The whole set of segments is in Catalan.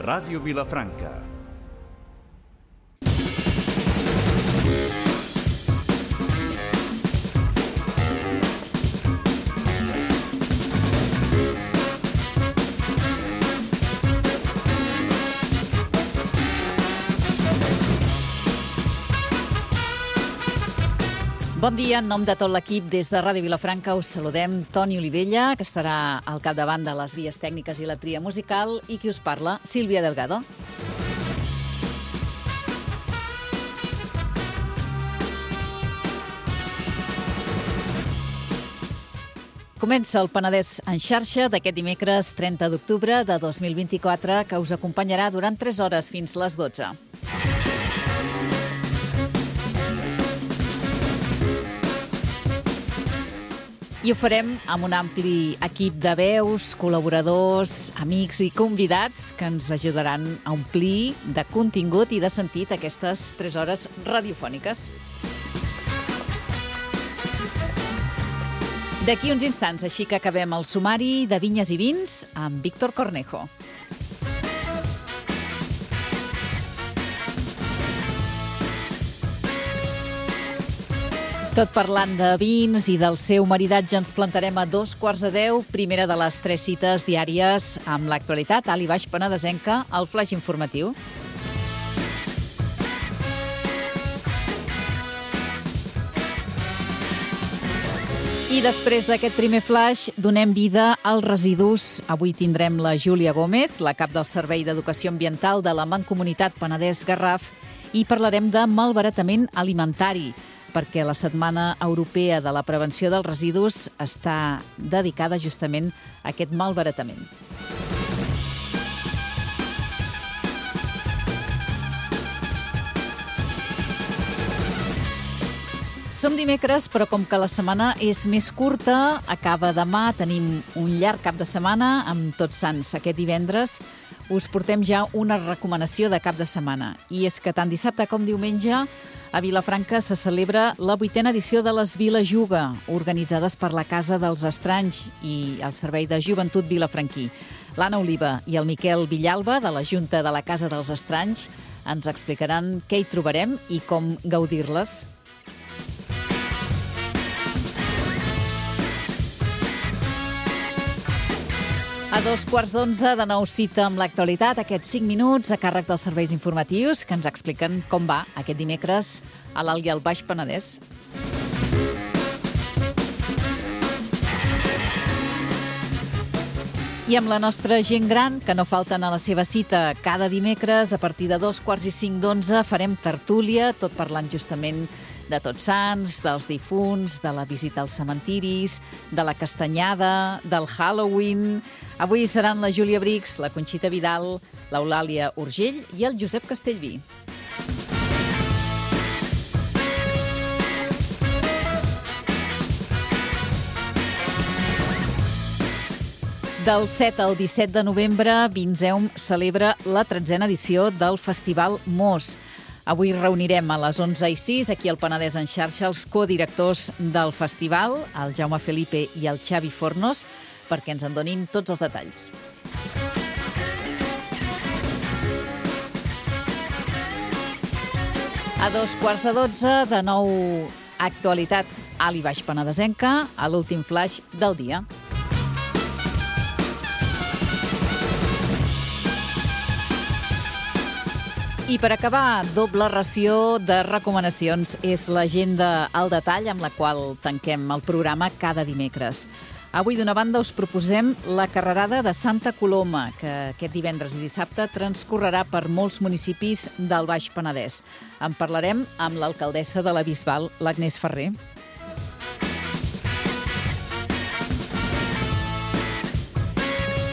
Ràdio Vilafranca. Bon dia, en nom de tot l'equip des de Ràdio Vilafranca us saludem Toni Olivella, que estarà al capdavant de les vies tècniques i la tria musical, i qui us parla, Sílvia Delgado. Comença el Penedès en xarxa d'aquest dimecres 30 d'octubre de 2024, que us acompanyarà durant 3 hores fins les 12. I ho farem amb un ampli equip de veus, col·laboradors, amics i convidats que ens ajudaran a omplir de contingut i de sentit aquestes 3 hores radiofòniques. D'aquí uns instants, així que acabem el sumari de Vinyes i Vins amb Víctor Cornejo. Tot parlant de vins i del seu maridatge, ens plantarem a 9:45, primera de les 3 cites diàries amb l'actualitat alt i baix penedesenca, al flaix informatiu. I després d'aquest primer flaix, donem vida als residus. Avui tindrem la Júlia Gómez, la cap del Servei d'Educació Ambiental de la Mancomunitat Penedès-Garraf, i parlarem de malbaratament alimentari, perquè la Setmana Europea de la Prevenció dels Residus està dedicada justament a aquest malbaratament. Som dimecres, però com que la setmana és més curta, acaba demà, tenim un llarg cap de setmana amb Tots Sants aquest divendres, us portem ja una recomanació de cap de setmana. I és que tant dissabte com diumenge a Vilafranca se celebra la 8a edició de les Vilajuga, organitzades per la Casa dels Estranys i el Servei de Joventut Vilafranquí. L'Anna Oliva i el Miquel Villalba, de la Junta de la Casa dels Estranys, ens explicaran què hi trobarem i com gaudir-les. A 11:15, de nou cita amb l'actualitat, aquests 5 minuts a càrrec dels serveis informatius que ens expliquen com va aquest dimecres a l'Alt i al Baix Penedès. I amb la nostra gent gran, que no falten a la seva cita cada dimecres, a partir de 2:45 farem tertúlia, tot parlant justament de Tots Sants, dels difunts, de la visita als cementiris, de la castanyada, del Halloween. Avui seran la Júlia Brix, la Conxita Vidal, l'Eulàlia Urgell i el Josep Castellví. Del 7 al 17 de novembre, Vinseum celebra la 13a edició del Festival Mos. Avui reunirem a les 11:06 aquí al Penedès en xarxa els codirectors del festival, el Jaume Felipe i el Xavi Fornos, perquè ens en donin tots els detalls. A 2:15, de nou actualitat alt i baix penedesenca, a l'últim flaix del dia. I per acabar, doble ració de recomanacions. És l'agenda al detall amb la qual tanquem el programa cada dimecres. Avui, d'una banda, us proposem la carrerada de Santa Coloma, que aquest divendres i dissabte transcorrerà per molts municipis del Baix Penedès. En parlarem amb l'alcaldessa de la Bisbal, l'Agnès Ferrer.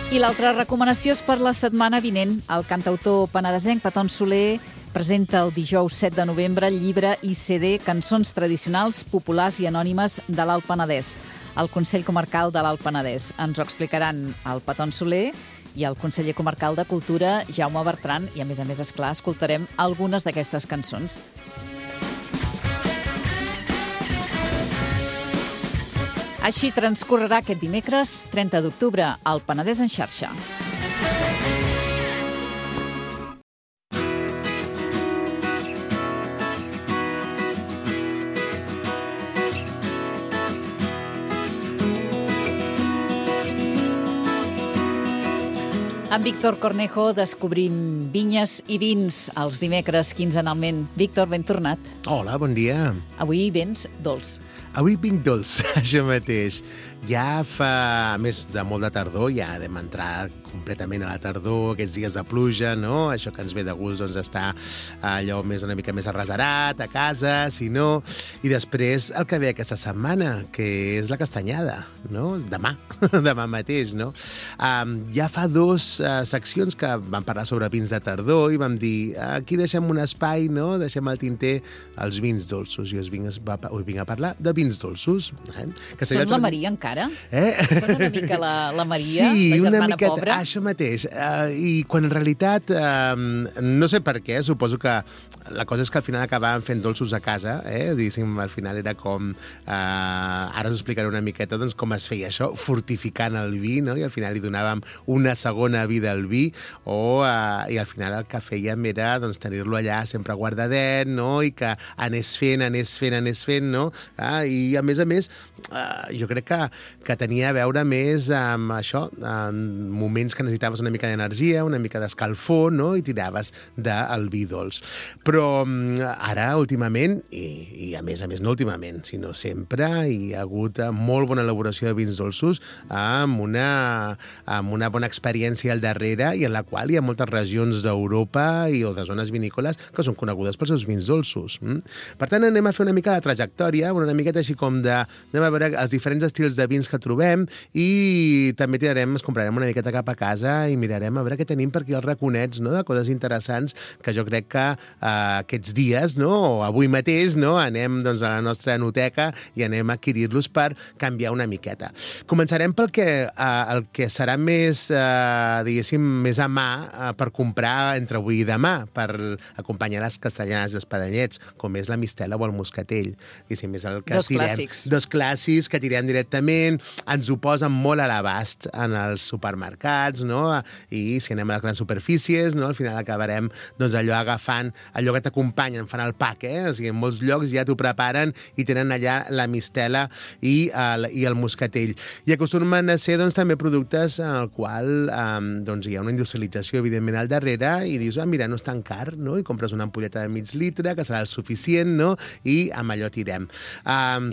I l'altra recomanació és per la setmana vinent. El cantautor penedesenc Peton Soler presenta el dijous 7 de novembre el llibre i CD Cançons tradicionals, populars i anònimes de l'Alt Penedès, al Consell Comarcal de l'Alt Penedès. Ens ho explicaran el Peton Soler i el conseller comarcal de Cultura, Jaume Bertran, i a més, esclar, escoltarem algunes d'aquestes cançons. Així transcorrerà aquest dimecres, 30 d'octubre, al Penedès en xarxa. Amb Víctor Cornejo descobrim vinyes i vins els dimecres quinzenalment. Víctor, ben tornat. Hola, bon dia. Avui vens dolç. Avui vinc dolç, això mateix. Ja fa més de molt de tardor, ja vam entrar completament a la tardor, aquests dies de pluja, no? Això que ens ve de gust, doncs, està allò una mica més arraserat, a casa, si no. I després el que ve aquesta setmana, que és la castanyada, no? Demà, demà mateix, no? Ja fa dues seccions que vam parlar sobre vins de tardor i vam dir, aquí deixem un espai, no? Deixem al tinter els vins dolços. I us vinc a parlar de vins dolços. Són la Maria, encara? Són una mica la Maria, sí, la germana miqueta, pobra? Això mateix. I quan en realitat, no sé per què, suposo que la cosa és que al final acabàvem fent dolços a casa, diguéssim, al final era com... ara us explicaré una miqueta doncs, com es feia això, fortificant el vi, no? I al final li donàvem una segona vida al vi, i al final el que fèiem era doncs, tenir-lo allà sempre guardadet, no? I que anés fent, no? I a més, jo crec que tenia a veure més amb això, en moments que necessitaves una mica d'energia, una mica d'escalfor, no? I tiraves del vi dolç. Però ara, últimament, i a més no últimament, sinó sempre, hi ha hagut molt bona elaboració de vins dolços amb una bona experiència al darrere i en la qual hi ha moltes regions d'Europa o de zones vinícoles que són conegudes pels seus vins dolços. Per tant, anem a fer una mica de trajectòria, una miqueta així com anem a veure els diferents estils de vins que trobem i també ens comprarem una miqueta cap a casa i mirarem a veure què tenim per aquí als raconets, no? De coses interessants que jo crec que aquests dies, no? O avui mateix, no? Anem doncs, a la nostra enoteca i anem a adquirir-los per canviar una miqueta. Començarem pel el que serà més, diguéssim, més a mà per comprar entre avui i demà, per acompanyar les castellanes i els espadanyets, com és la mistela o el moscatell. És el que dos clàssics que tirem directament, ens ho posen molt a l'abast en els supermercats, no? I si anem a les grans superfícies, no? Al final acabarem doncs, agafant allò que t'acompanyen, fan el pack, O sigui, en molts llocs ja t'ho preparen i tenen allà la mistela i el moscatell. I acostumen a ser doncs, també productes en el qual doncs, hi ha una industrialització, evidentment, al darrere i dius, mira, no és tan car, no? I compres una ampolleta de mig litre, que serà el suficient, no? I amb allò tirem.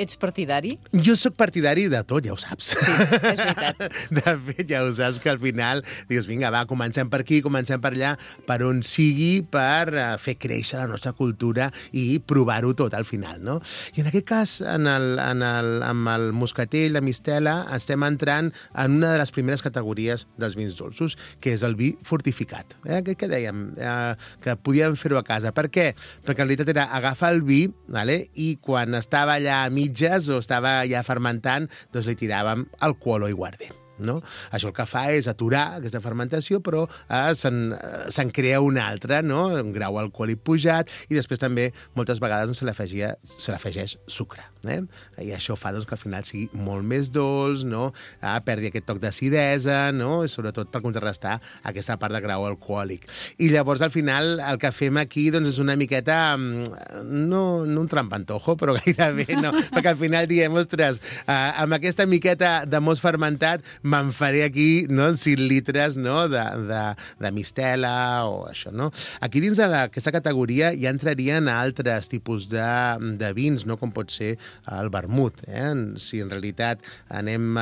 Ets partidari? Jo sóc partidari de tot, ja ho saps. Sí, és veritat. De fet, ja ho saps que al final dius, vinga, va, comencem per aquí, comencem per allà, per on sigui, per fer créixer la nostra cultura i provar-ho tot al final, no? I en aquest cas, amb el moscatell, la mistela, estem entrant en una de les primeres categories dels vins dolços, que és el vi fortificat. Què dèiem? Que podíem fer-ho a casa. Per què? Perquè en realitat era agafar el vi, i quan estava allà a mitges o estava ja fermentant, doncs li tiràvem alcohol o aiguardent. No? Això el que fa és aturar aquesta fermentació, però se'n crea una altra, no? Un grau alcohòlic pujat, i després també moltes vegades doncs, se l'afegeix sucre. I això fa doncs, que al final sigui molt més dolç, no? Perdi aquest toc d'acidesa, no? I sobretot per contrarrestar aquesta part de grau alcohòlic. I llavors al final el que fem aquí doncs, és una miqueta, no un trampantojo, però gairebé no, perquè al final diem, ostres, amb aquesta miqueta de most fermentat me'n faré aquí 5 litres de mistela o això, no? Aquí dins d'aquesta categoria ja entrarien altres tipus de vins, no? Com pot ser el vermut. Si en realitat anem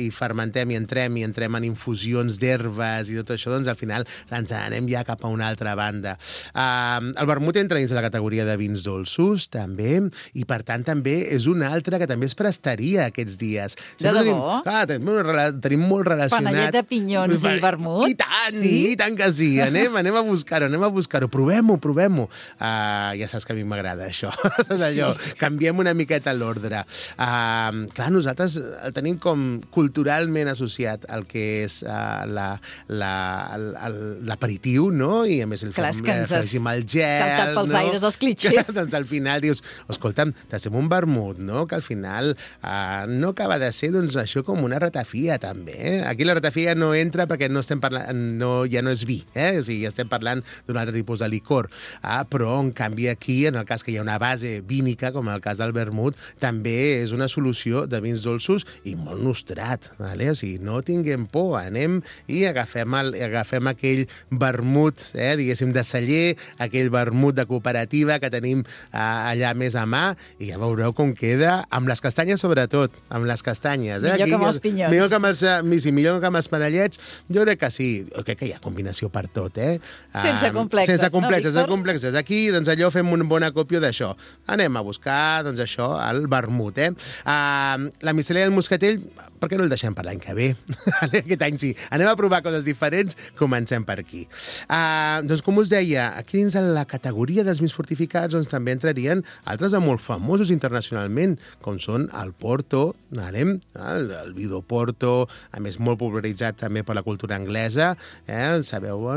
i fermentem i entrem en infusions d'herbes i tot això, doncs al final ens anem ja cap a una altra banda. El vermut entra dins de la categoria de vins dolços, també, i per tant també és una altra que també es prestaria aquests dies. De debò? Tenim molt relacionat... Panellet de pinyons i vermut? I tant que sí. Anem a buscar-ho. Provem-ho. Ja saps que a mi m'agrada això. Allò, canviem una miqueta l'ordre. Clar, nosaltres el tenim com culturalment associat al que és l'aperitiu, no? I a més el afegim al gel. Saltat pels aires els clitxers. Doncs al final dius, escolta'm, t'hacem un vermut, no? Que al final no acaba de ser doncs, això com una ratafia, també. Aquí la ratafia no entra perquè no estem parlant, ja no és vi, o sigui, estem parlant d'un altre tipus de licor. Però, en canvi, aquí, en el cas que hi ha una base vínica, com en el cas del vermut, també és una solució de vins dolços i molt nostrat. Vale? O sigui, no tinguem por, anem i agafem aquell vermut, diguéssim, de celler, aquell vermut de cooperativa que tenim allà més a mà, i ja veureu com queda, amb les castanyes sobretot, amb les castanyes. Millor que amb els pinyons. Millor que amb els parellets, jo crec que sí. Jo crec que hi ha combinació per tot, Sense complexes, sense complexes, no, sense complexes. Aquí, doncs allò, fem un bon acòpio d'això. Anem a buscar, doncs això, el vermut, la miscel·lària del moscatell, per què no el deixem per l'any que ve? Aquest any sí. Anem a provar coses diferents, comencem per aquí. Doncs, com us deia, aquí dins de la categoria dels vins fortificats doncs, també entrarien altres de molt famosos internacionalment, com són el Porto, el vi d'Oporto, a més molt popularitzat també per la cultura anglesa, sabeu,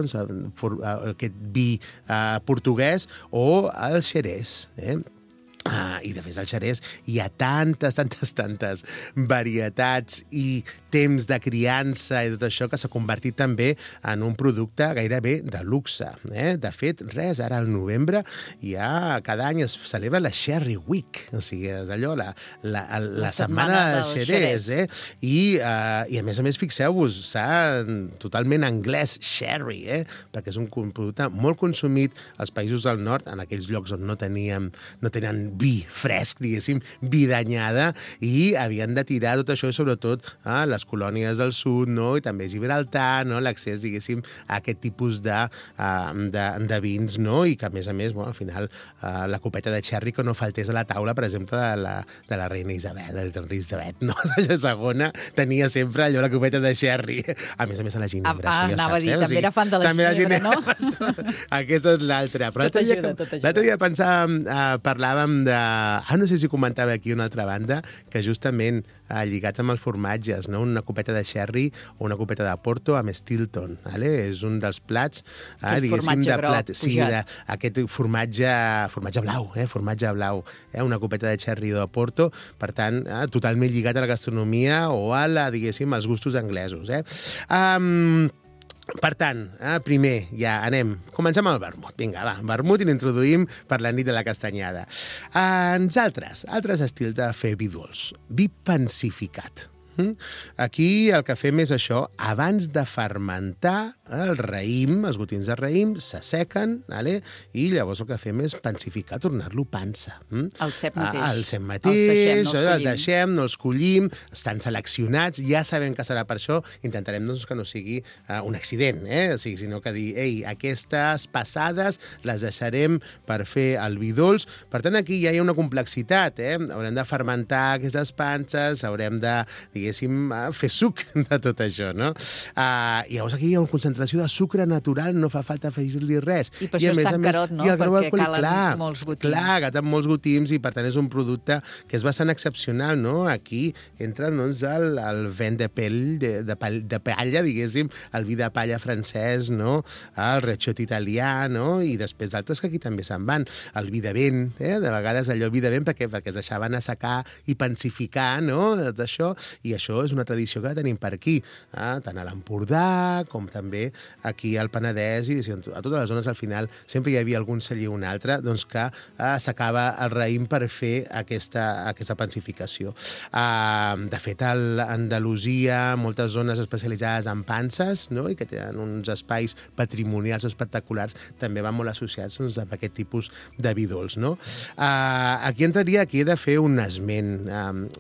aquest vi portuguès, o el Xerès, i de fet al Xerès hi ha tantes varietats i temps de criança i tot això que s'ha convertit també en un producte gairebé de luxe. De fet, ara al novembre cada any es celebra la Sherry Week, o sigui, és allò, la setmana del Xerès. I a més, fixeu-vos, totalment anglès, sherry, perquè és un producte molt consumit als països del nord, en aquells llocs on no tenen vi fresc, diguéssim, vi d'anyada, i havien de tirar tot això, sobretot a les colònies del sud, no? I també Gibraltar, no? L'accés, diguéssim, a aquest tipus de vins, no? I que, a més, al final, la copeta de xerri que no faltés a la taula, per exemple, de la reina Isabel, Elisabet, no? La segona tenia sempre allò, la copeta de xerri. A més, a la ginebra. Anava a dir, també era fan de la ginebra, no? Aquesta és l'altra. Però l'altre dia parlàvem no sé si comentava aquí una altra banda, que justament lligats amb els formatges, no? Una copeta de sherry o una copeta de Porto amb Stilton. És un dels plats, diguéssim, de plat. Sí, aquest formatge blau, una copeta de sherry de Porto, per tant, totalment lligat a la gastronomia o diguéssim, als gustos anglesos. Per tant, primer, ja anem. Comencem amb el vermut. Vinga, va, vermut, i l'introduïm per la nit de la castanyada. Altres estils de fer vi dolç. Vi pensificat. Aquí el que fem és això, abans de fermentar el raïm, els gotins de raïm, s'assequen, i llavors el que fem és pensificar, tornar-lo pansa. El cep mateix. El cep mateix, el deixem, no els collim, estan seleccionats, ja sabem que serà per això, intentarem que no sigui un accident, sinó que dir, aquestes passades les deixarem per fer el vi dolç. Per tant, aquí ja hi ha una complexitat, haurem de fermentar aquestes panses, haurem de, diguéssim, fer suc de tot això, no? I llavors aquí hi ha una concentració de sucre natural, no fa falta afegir-li res. I per això és tan carot, no? Perquè calen molts gotins. Clar, calen molts gotins i, per tant, és un producte que és bastant excepcional, no? Aquí entra, doncs, el vin de palla, diguéssim, el vi de palla francès, no? El recioto italià, no? I després d'altres que aquí també se'n van. El vi de vent, de vegades allò vi de vent perquè es deixaven assecar i pensificar, no? D'això, i això és una tradició que tenim per aquí, tant a l'Empordà com també aquí al Penedès, i a totes les zones al final sempre hi havia algun celler o un altre doncs, que s'acaba el raïm per fer aquesta pensificació. De fet, a Andalusia, moltes zones especialitzades en panses, no? I que tenen uns espais patrimonials espectaculars, també van molt associats doncs, amb aquest tipus de vi dolç. No? Aquí he de fer un esment.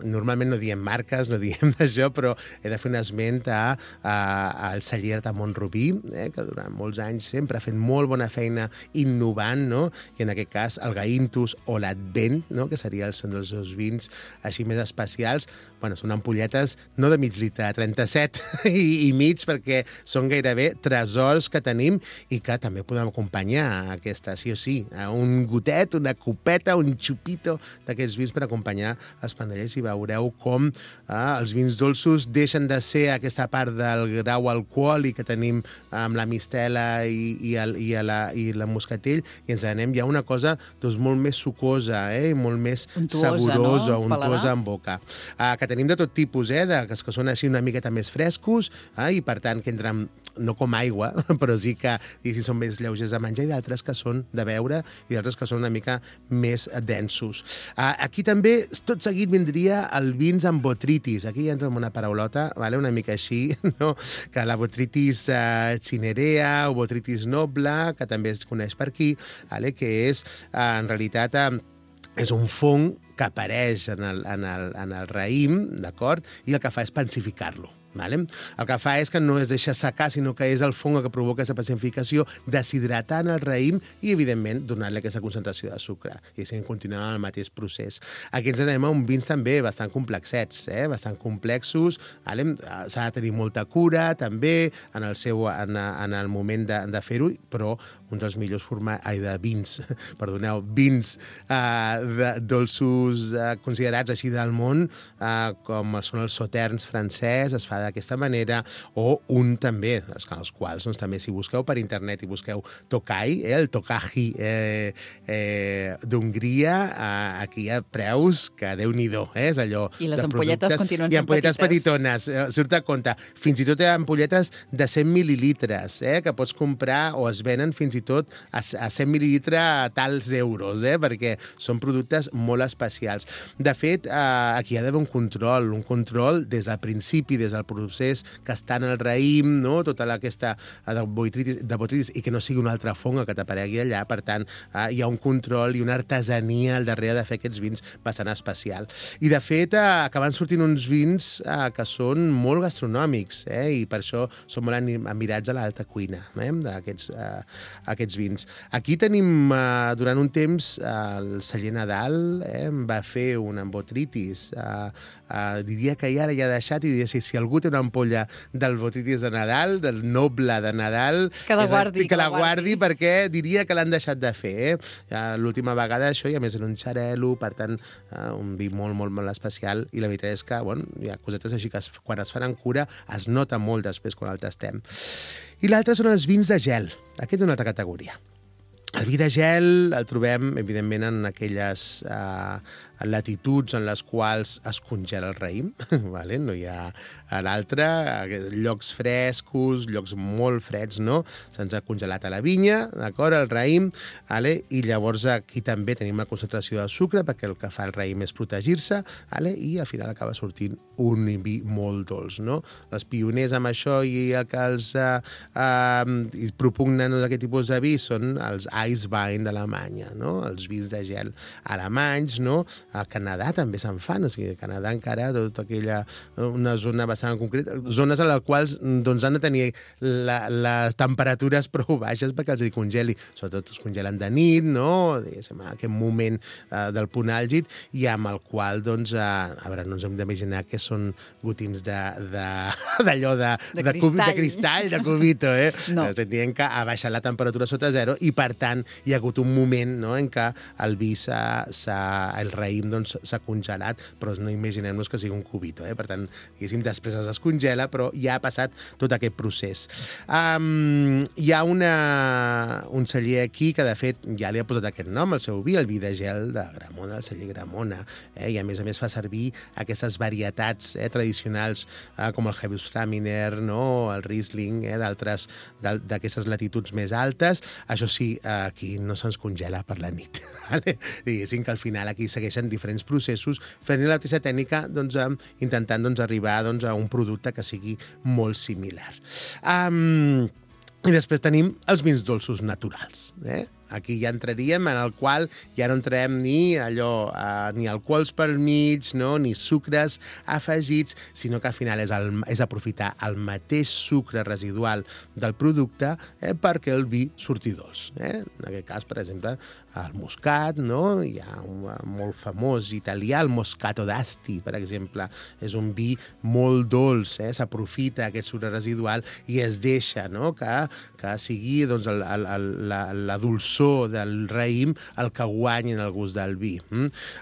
Normalment no diem marques, no diem d'això, però he de fer un esment al celler de Montrubí, que durant molts anys sempre ha fet molt bona feina innovant, no? I en aquest cas el Gaintus o l'Advent, no? Que són els seus vins així més especials. Bueno, són ampolletes no de mig litre, 37 i mig, perquè són gairebé tresors que tenim i que també podem acompanyar aquesta, sí o sí, un gotet, una copeta, un xupito d'aquests vins per acompanyar els panellets, i veureu com els els vins dolços deixen de ser aquesta part del grau alcohòlic que tenim amb la mistela i la moscatell, i ens anem ja a una cosa doncs, molt més sucosa, i molt més saborosa, untuosa en boca. Que tenim de tot tipus, que són així una miqueta més frescos, i per tant que entren no com aigua, però sí que són més lleugers de menjar, i d'altres que són de beure, i d'altres que són una mica més densos. Aquí també, tot seguit, vindria el vins amb botritis. Aquí entra una paraulota, una mica així, no? Que la botritis cinerea o botritis noble, que també es coneix per aquí, que és, en realitat, és un fong que apareix en el raïm, d'acord? I el que fa és pacificar-lo. El que fa és que no es deixa secar, sinó que és el fong que provoca aquesta pacificació, deshidratant el raïm i, evidentment, donar-li aquesta concentració de sucre. I així continuem el mateix procés. Aquí ens anem a uns vins també bastant complexets, bastant complexos. S'ha de tenir molta cura, també, en el moment de fer-ho, però un dels millors vins dolços considerats així del món, com són els sauternes francès, es fa d'aquesta manera, o un també, els quals també, si busqueu per internet i busqueu Tokaj, el Tokaji d'Hongria, aquí hi ha preus que Déu-n'hi-do, és allò... I les ampolletes continuen sent petites. I ampolletes petitones, surt a compte. Fins i tot hi ha ampolletes de 100 mil·lilitres, que pots comprar o es venen fins i tot a 100 mil·lilitres a tals euros, perquè són productes molt especials. De fet, aquí hi ha d'haver un control des del principi, des del procés que està en el raïm, no? Tota aquesta de botritis, i que no sigui una altra fonga que t'aparegui allà. Per tant, hi ha un control i una artesania al darrere de fer aquests vins bastant especial. I, de fet, acaben sortint uns vins que són molt gastronòmics, i per això són molt admirats a l'alta cuina, aquests vins. Aquí tenim, durant un temps, el celler Nadal va fer un botritis. Diria que ja l'ha deixat, i diria, si algú té una ampolla del botritis de Nadal, del noble de Nadal, que la guardi, perquè diria que l'han deixat de fer. L'última vegada això, i a més era un xarel·lo, per tant, un vi molt, molt, molt especial, i la veritat és que, hi ha cosetes així que quan es fan en cura es nota molt després quan el tastem. I l'altre són els vins de gel. Aquest és una altra categoria. El vi de gel el trobem, evidentment, en aquelles latituds en les quals es congela el raïm, no hi ha l'altre, llocs frescos, llocs molt freds, no? Se'ns ha congelat a la vinya, d'acord, el raïm, i llavors aquí també tenim una concentració de sucre, perquè el que fa el raïm és protegir-se, i al final acaba sortint un vi molt dolç, no? Els pioners amb això i el que els propugnen aquest tipus de vi són els Eiswein d'Alemanya, no? Els vins de gel alemanys, no? A Canadà també se'n fan, o sigui, a Canadà encara tota aquella, una zona bastant concreta, zones en les quals doncs, han de tenir les temperatures prou baixes perquè els hi congeli, sobretot es congelen de nit, no? En aquest moment del punt àlgid, i amb el qual, doncs, a veure, no ens hem d'imaginar que són gotims d'allò de cristall, de cubito, No. Dient que ha baixat la temperatura sota zero, i per tant hi ha hagut un moment, no?, en què el vi el raïm doncs, s'ha congelat, però no imaginem-nos que sigui un cubito. Per tant, diguéssim, després es descongela, però ja ha passat tot aquest procés. Hi ha un celler aquí que, de fet, ja li ha posat aquest nom al seu vi, el vi de gel de Gramona, el celler Gramona, i a més fa servir aquestes varietats tradicionals com el Gewürztraminer, no?, el Riesling, d'altres d'aquestes latituds més altes. Això sí, aquí no se'ns congela per la nit. Diguéssim que al final aquí segueixen diferents processos fent la mateixa tècnica, doncs, intentant arribar a un producte que sigui molt similar. I després tenim els vins dolços naturals. Aquí ja entraríem en el qual ja no entrarem ni alcohols pel mig, no? Ni sucres afegits, sinó que al final és aprofitar el mateix sucre residual del producte perquè el vi surti dolç. En aquest cas, per exemple, el moscat, no? Hi ha un molt famós italià, el Moscato d'Asti, per exemple. És un vi molt dolç, s'aprofita aquest sucre residual i es deixa, no?, que sigui, doncs, la dolçor dolçor del raïm el que guanya en el gust del vi.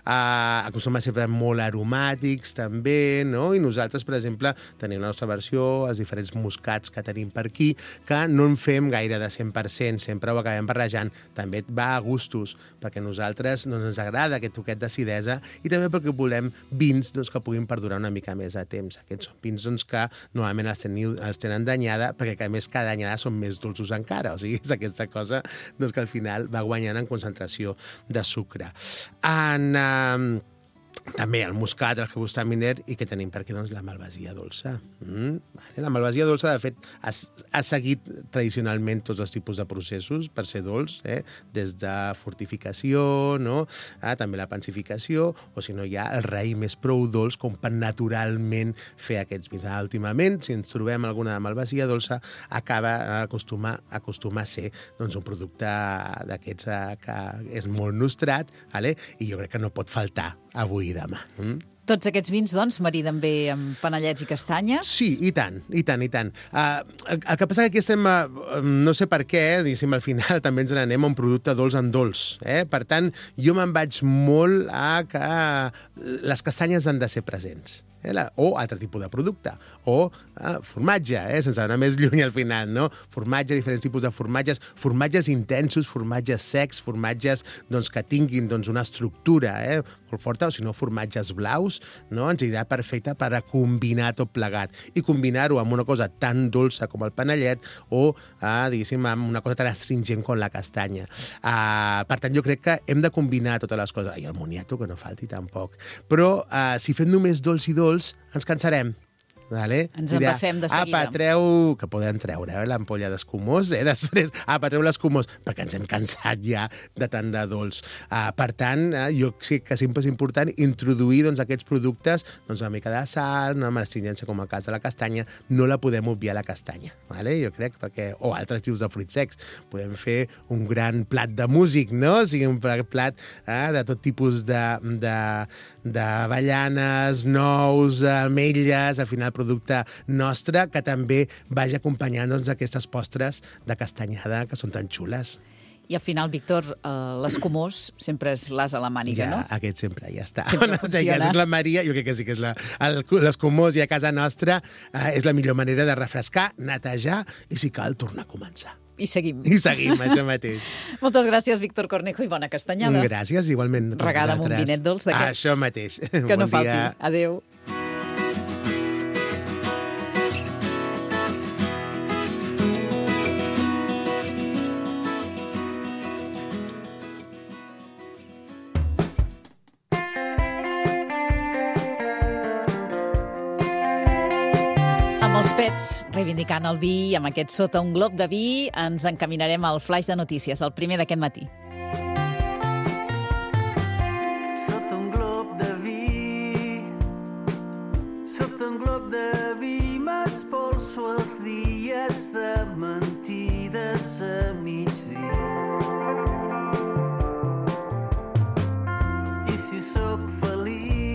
Acostumen a ser molt aromàtics, també, no? I nosaltres, per exemple, tenim la nostra versió, els diferents moscats que tenim per aquí, que no en fem gaire de 100%, sempre ho acabem barrejant. També va a gustos, perquè a nosaltres ens agrada aquest toquet d'acidesa i també perquè volem vins que puguin perdurar una mica més de temps. Aquests són vins que normalment els tenen d'anyada, perquè a més cada anyada són més dolços encara. O sigui, és aquesta cosa que al final va guanyant en concentració de sucre. També el muscat, el gewürztraminer, i que tenim per aquí la malvasia dolça. La malvasia dolça, de fet, ha seguit tradicionalment tots els tipus de processos per ser dolç, des de fortificació, també la pansificació, o si no hi ha el raïm més prou dolç com per naturalment fer aquests vins. Últimament, si ens trobem alguna malvasia dolça, acostuma a ser un producte d'aquests que és molt nostrat, i jo crec que no pot faltar avui i demà. Tots aquests vins, doncs, mariden bé amb panellets i castanyes? Sí, i tant. El que passa que aquí estem, no sé per què, al final també ens n'anem a un producte dolç en dolç. Per tant, jo me'n vaig molt a que les castanyes han de ser presents. O altre tipus de producte, o formatge, sense anar més lluny al final, no? Formatge, diferents tipus de formatges intensos, formatges secs, formatges que tinguin una estructura molt forta, o si no, formatges blaus, ens anirà perfecte per a combinar tot plegat i combinar-ho amb una cosa tan dolça com el panellet o, diguéssim, amb una cosa tan astringent com la castanya. Per tant, jo crec que hem de combinar totes les coses. I el moniato, que no falti tampoc. Però si fem només dolç i dolç, ens cansarem. Ens embafem de seguida. Que poden treure l'ampolla d'escumós, després, treu l'escumós, perquè ens hem cansat ja de tant de dolç. Per tant, jo sé que sempre és important introduir aquests productes, una mica de sal, una astringència com el cas de la castanya, no la podem obviar la castanya, jo crec, o altres tipus de fruits secs. Podem fer un gran plat de músic, no? O sigui, un plat de tot tipus d'avellanes, nous, ametlles, al final producte nostre, que també vagi acompanyant aquestes postres de castanyada que són tan xules. I al final, Víctor, l'escumós sempre és l'as a la màniga, no? Aquest sempre ja està. Sempre funciona. És la Maria, jo crec que sí que és l'escumós, i a casa nostra és la millor manera de refrescar, netejar i, si cal, tornar a començar. I seguim. Això mateix. Moltes gràcies, Víctor Cornejo, i bona castanyada. Gràcies, igualment. Regada amb un vinet dolç d'aquests. Això mateix. Que no falti. Adéu. Els pets, reivindicant el vi, amb aquest Sota un glob de vi, ens encaminarem al flaix de notícies, el primer d'aquest matí. Sota un glob de vi, sota un glob de vi, m'espolso els dies de mentides a migdia. I si sóc feliç,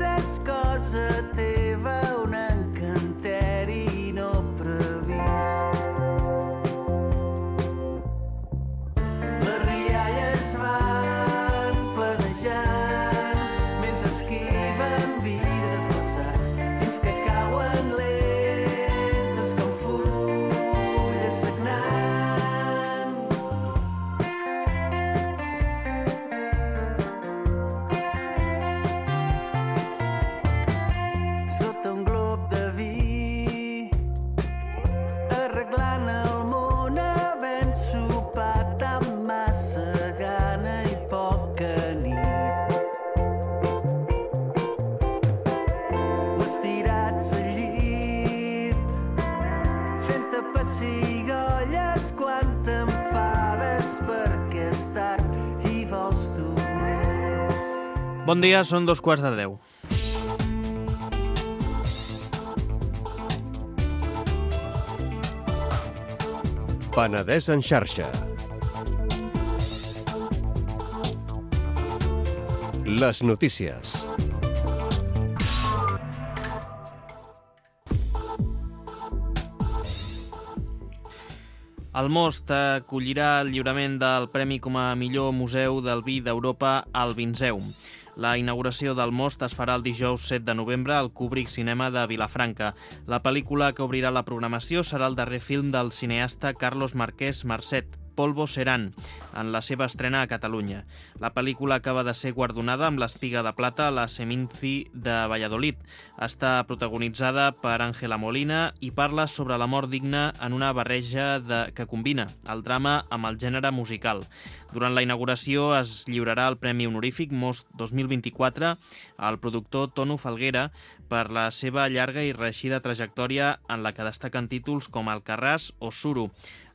és cosa teva, un encanteri no previst. Les rialles van planejant mentre esquiven vidres glaçats fins que cauen lentes com fulles sagnant. Sota un glob de vi, arreglant el món, havent sopat amb massa gana i poca nit. Estirats al llit, fent-te pessigolles quan t'enfades perquè és tard i vols dormir. Bon dia, són 9:15. Penedès en xarxa. Les notícies. El Most acollirà el lliurament del Premi com a millor museu del vi d'Europa al Vinzeum. La inauguració del Most es farà el dijous 7 de novembre al Kubrick Cinema de Vilafranca. La pel·lícula que obrirà la programació serà el darrer film del cineasta Carlos Marquès Marcet, Polvo Serán, en la seva estrena a Catalunya. La pel·lícula acaba de ser guardonada amb l'Espiga de Plata a la Seminci de Valladolid. Està protagonitzada per Ángela Molina i parla sobre la mort digna en una barreja que combina el drama amb el gènere musical. Durant la inauguració es lliurarà el Premi Honorífic Most 2024 al productor Tonu Falguera per la seva llarga i reeixida trajectòria en la que destaquen títols com Alcarràs o Suro,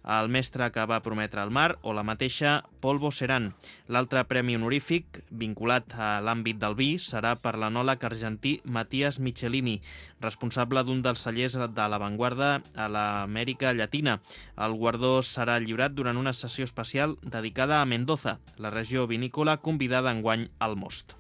El mestre que va prometre el mar o la mateixa Polvo Serán. L'altre premi honorífic, vinculat a l'àmbit del vi, serà per l'enòleg argentí Matías Michelini, responsable d'un dels cellers de l'avantguarda a l'Amèrica Llatina. El guardó serà lliurat durant una sessió especial dedicada a Mendoza, la regió vinícola convidada enguany al Most.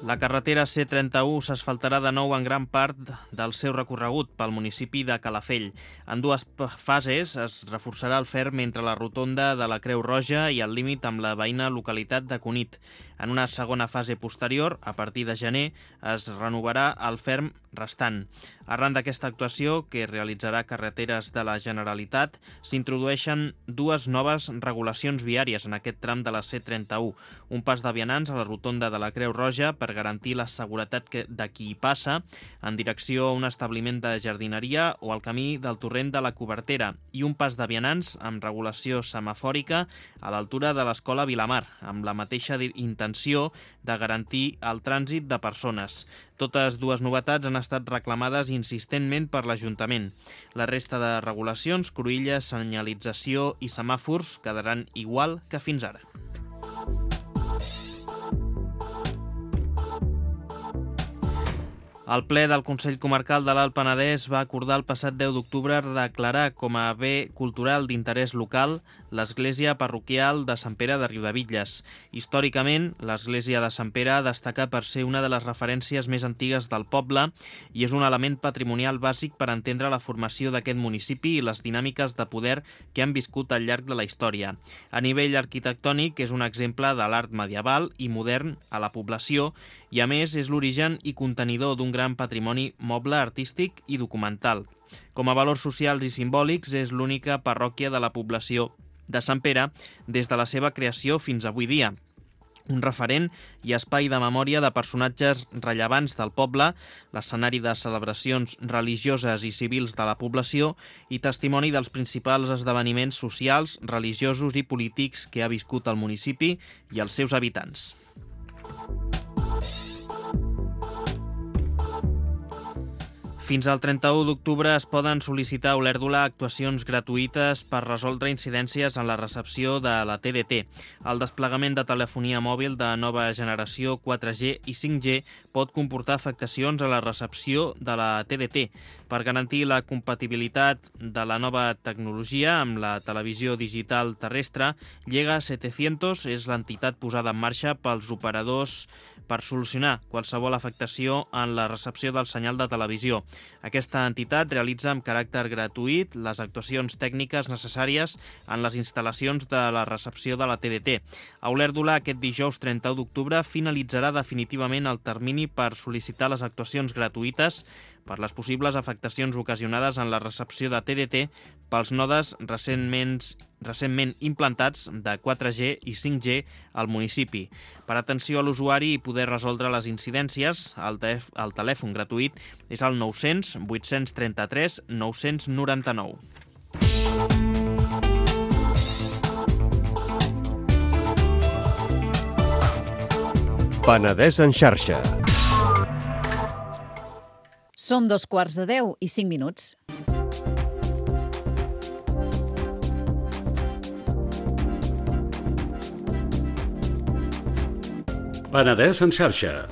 La carretera C31 s'asfaltarà de nou en gran part del seu recorregut pel municipi de Calafell. En dues fases es reforçarà el ferm entre la rotonda de la Creu Roja i el límit amb la veïna localitat de Cunit. En una segona fase posterior, a partir de gener, es renovarà el ferm restant. Arran d'aquesta actuació, que realitzarà Carreteres de la Generalitat, s'introdueixen dues noves regulacions viàries en aquest tram de la C31. Un pas de vianants a la rotonda de la Creu Roja per garantir la seguretat de qui hi passa en direcció a un establiment de jardineria o al camí del torrent de la Cobertera, i un pas de vianants amb regulació semafòrica a l'altura de l'Escola Vilamar, amb la mateixa intenció de garantir el trànsit de persones. Totes dues novetats han estat reclamades insistentment per l'Ajuntament. La resta de regulacions, cruïlles, senyalització i semàfors quedaran igual que fins ara. El ple del Consell Comarcal de l'Alt Penedès va acordar el passat 10 d'octubre declarar com a bé cultural d'interès local l'església parroquial de Sant Pere de Riudebitlles. Històricament, l'església de Sant Pere destaca per ser una de les referències més antigues del poble i és un element patrimonial bàsic per entendre la formació d'aquest municipi i les dinàmiques de poder que han viscut al llarg de la història. A nivell arquitectònic, és un exemple de l'art medieval i modern a la població i, a més, és l'origen i contenidor d'un gran patrimoni moble, artístic i documental. Com a valors socials i simbòlics, és l'única parròquia de la població de Sant Pere des de la seva creació fins avui dia. Un referent i espai de memòria de personatges rellevants del poble, l'escenari de celebracions religioses i civils de la població i testimoni dels principals esdeveniments socials, religiosos i polítics que ha viscut el municipi i els seus habitants. Fins al 31 d'octubre es poden sol·licitar a Olèrdola actuacions gratuïtes per resoldre incidències en la recepció de la TDT. El desplegament de telefonia mòbil de nova generació 4G i 5G pot comportar afectacions a la recepció de la TDT. Per garantir la compatibilitat de la nova tecnologia amb la televisió digital terrestre, Llega 700 és l'entitat posada en marxa pels operadors per solucionar qualsevol afectació en la recepció del senyal de televisió. Aquesta entitat realitza amb caràcter gratuït les actuacions tècniques necessàries en les instal·lacions de la recepció de la TDT. A Olèrdola, aquest dijous 31 d'octubre, finalitzarà definitivament el termini per sol·licitar les actuacions gratuïtes per les possibles afectacions ocasionades en la recepció de TDT pels nodes recentment implantats de 4G i 5G al municipi. Per atenció a l'usuari i poder resoldre les incidències, el telèfon gratuït és el 900 833 999. Penedès en xarxa. Són 2:45. Penedès en xarxa.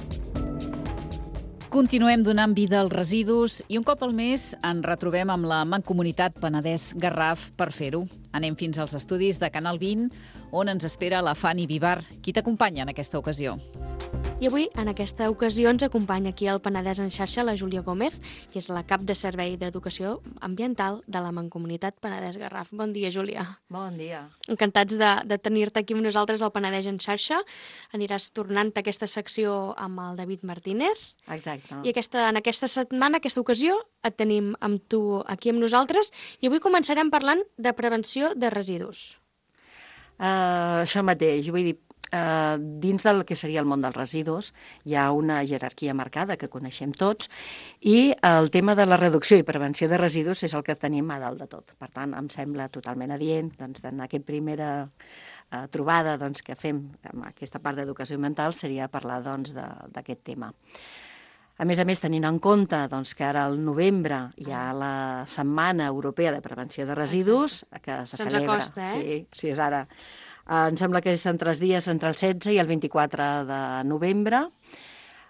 Continuem donant vida als residus i un cop al mes ens retrobem amb la Mancomunitat Penedès Garraf per fer-ho. Anem fins als estudis de Canal 20, on ens espera la Fanny Vivar, qui t'acompanya en aquesta ocasió. I avui, en aquesta ocasió, ens acompanya aquí al Penedès en xarxa la Júlia Gómez, que és la cap de Servei d'Educació Ambiental de la Mancomunitat Penedès Garraf. Bon dia, Júlia. Bon dia. Encantats de tenir-te aquí amb nosaltres al Penedès en xarxa. Aniràs tornant aquesta secció amb el David Martínez. Exacte. I en aquesta setmana, aquesta ocasió, et tenim amb tu aquí amb nosaltres i avui començarem parlant de prevenció de residus. Això mateix, vull dir, dins del que seria el món dels residus hi ha una jerarquia marcada que coneixem tots i el tema de la reducció i prevenció de residus és el que tenim a dalt de tot. Per tant, em sembla totalment adient doncs, en aquesta primera trobada doncs, que fem amb aquesta part d'educació ambiental seria parlar doncs, d'aquest tema. A més, tenint en compte doncs, que ara al novembre hi ha la Setmana Europea de Prevenció de Residus, que se celebra. Se'ns acosta, eh? Sí, és ara. Em sembla que és entre els dies entre el 16 i el 24 de novembre.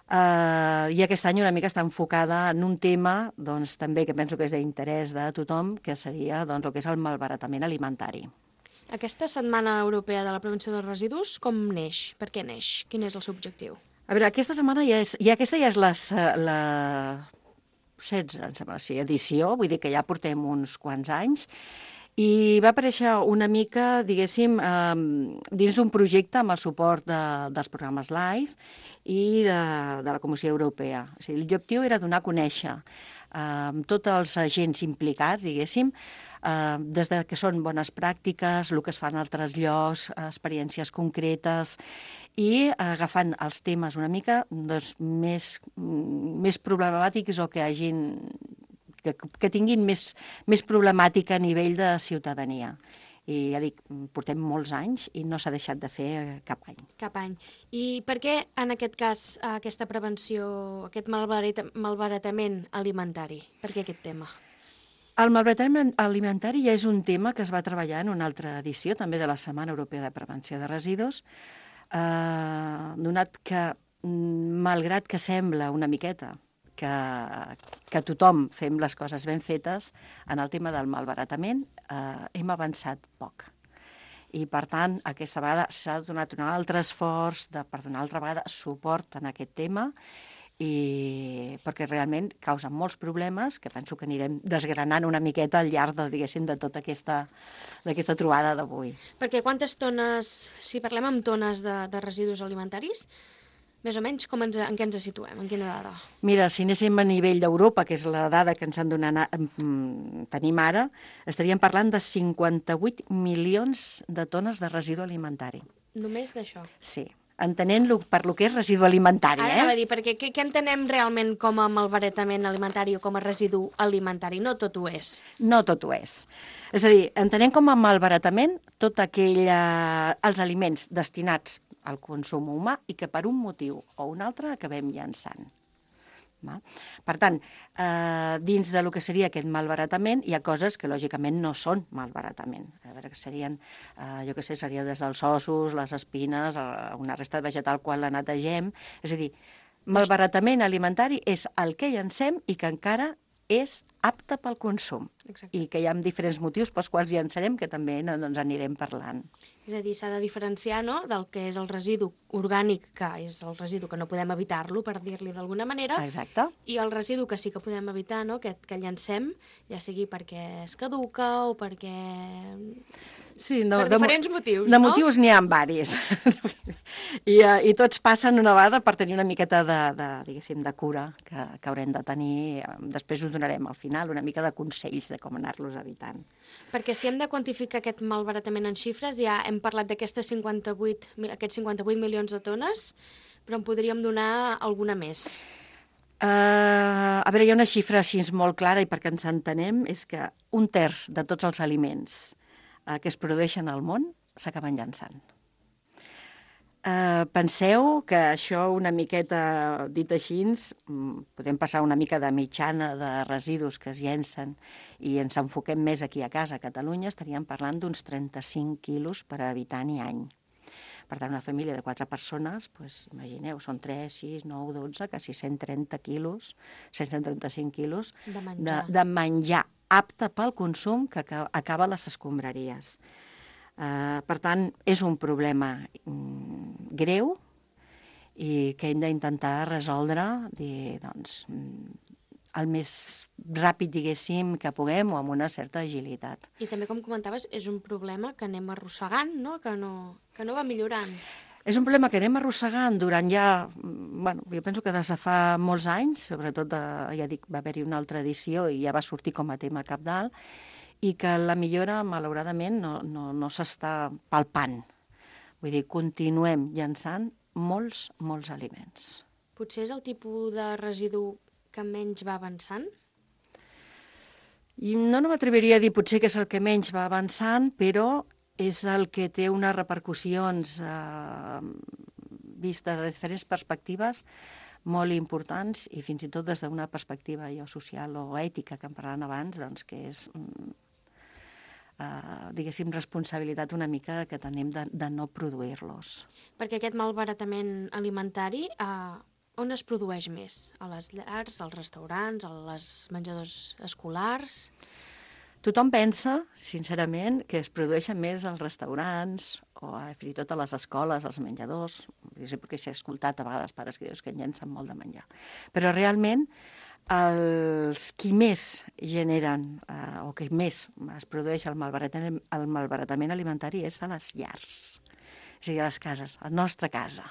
I aquest any una mica està enfocada en un tema doncs, també que penso que és d'interès de tothom, que seria doncs, el que és el malbaratament alimentari. Aquesta Setmana Europea de la Prevenció dels Residus, com neix? Per què neix? Quin és el seu objectiu? A veure, aquesta setmana aquesta ja és la 16, em sembla, sí, edició, vull dir que ja portem uns quants anys, i va aparèixer una mica, diguéssim, dins d'un projecte amb el suport dels programes LIFE i de la Comissió Europea. O sigui, l'objectiu era donar a conèixer tots els agents implicats, diguéssim, des de que són bones pràctiques, el que es fa en altres llocs, experiències concretes, i agafant els temes una mica doncs, més problemàtics o que tinguin més problemàtica a nivell de ciutadania. I ja dic, portem molts anys i no s'ha deixat de fer cap any. Cap any. I per què, en aquest cas, aquesta prevenció, aquest malbaratament alimentari? Per què aquest tema? El malbaratament alimentari ja és un tema que es va treballar en una altra edició, també de la Setmana Europea de Prevenció de Residus, donat que, malgrat que sembla una miqueta que tothom fem les coses ben fetes, en el tema del malbaratament hem avançat poc. I, per tant, aquesta vegada s'ha donat un altre esforç per donar altra vegada suport en aquest tema, perquè realment causa molts problemes que penso que anirem desgranant una miqueta al llarg de tota aquesta trobada d'avui. Perquè quantes tones, si parlem amb tones de residus alimentaris, més o menys en què ens situem, en quina dada? Mira, si anéssim a nivell d'Europa, que és la dada que ens han donat, tenim ara, estaríem parlant de 58 milions de tones de residu alimentari. Només d'això? Sí. Entenent-lo per lo que és residu alimentari. Ara anava a dir, perquè què entenem realment com a malbaratament alimentari o com a residu alimentari? No tot ho és. No tot ho és. És a dir, entenem com a malbaratament tots els aliments destinats al consum humà i que per un motiu o un altre acabem llançant. Per tant, dins del que seria aquest malbaratament hi ha coses que lògicament no són malbaratament. A veure, que serien, jo què sé, seria des dels ossos, les espines, una resta vegetal quan la netegem. És a dir, malbaratament alimentari és el que llancem i que encara és apte pel consum. Exacte. I que hi ha diferents motius pels quals llançarem que també doncs, anirem parlant. És a dir, s'ha de diferenciar del que és el residu orgànic, que és el residu que no podem evitar-lo, per dir-li d'alguna manera. Exacte. I el residu que sí que podem evitar, que llancem, ja sigui perquè es caduca o perquè... Sí, per diferents motius, no? De motius n'hi ha varis. I tots passen una vegada per tenir una miqueta de cura que haurem de tenir. Després us donarem al final una mica de consells de com anar-los evitant. Perquè si hem de quantificar aquest malbaratament en xifres, ja hem parlat d'aquests 58 milions de tones, però en podríem donar alguna més. A veure, hi ha una xifra així molt clara i perquè ens entenem és que 1/3 de tots els aliments que es produeixen al món s'acaben llançant. Penseu que això una miqueta dit així, podem passar una mica de mitjana de residus que es llencen i ens enfoquem més aquí a casa, a Catalunya, estaríem parlant d'uns 35 quilos per habitant i any. Per tant, una família de 4 persones, doncs, imagineu, són 3, 6, 9, 12, quasi 130 quilos, 135 quilos de menjar apte pel consum que acaba a les escombraries. Per tant, és un problema greu i que hem d'intentar resoldre doncs, el més ràpid, diguéssim, que puguem o amb una certa agilitat. I també, com comentaves, és un problema que anem arrossegant, no? Que no va millorant. És un problema que anem arrossegant durant ja, jo penso que des de fa molts anys, sobretot, ja dic, va haver-hi una altra edició i ja va sortir com a tema cabdal, i que la millora, malauradament, no s'està palpant. Vull dir, continuem llançant molts aliments. Potser és el tipus de residu que menys va avançant? I no m'atreviria a dir potser que és el que menys va avançant, però és el que té unes repercussions vistes de diferents perspectives molt importants i fins i tot des d'una perspectiva social o ètica que en parlàvem abans, doncs que és, diguéssim, responsabilitat una mica que tenim de no produir-los. Perquè aquest malbaratament alimentari, on es produeix més? A les llars, als restaurants, als menjadors escolars? Tothom pensa, sincerament, que es produeixen més als restaurants o fins i tot a les escoles, als menjadors, perquè s'ha escoltat a vegades pares que dius que llencen molt de menjar. Però realment els qui més generen o que més es produeix el malbaratament alimentari és a les llars, és a dir, a les cases, a la nostra casa,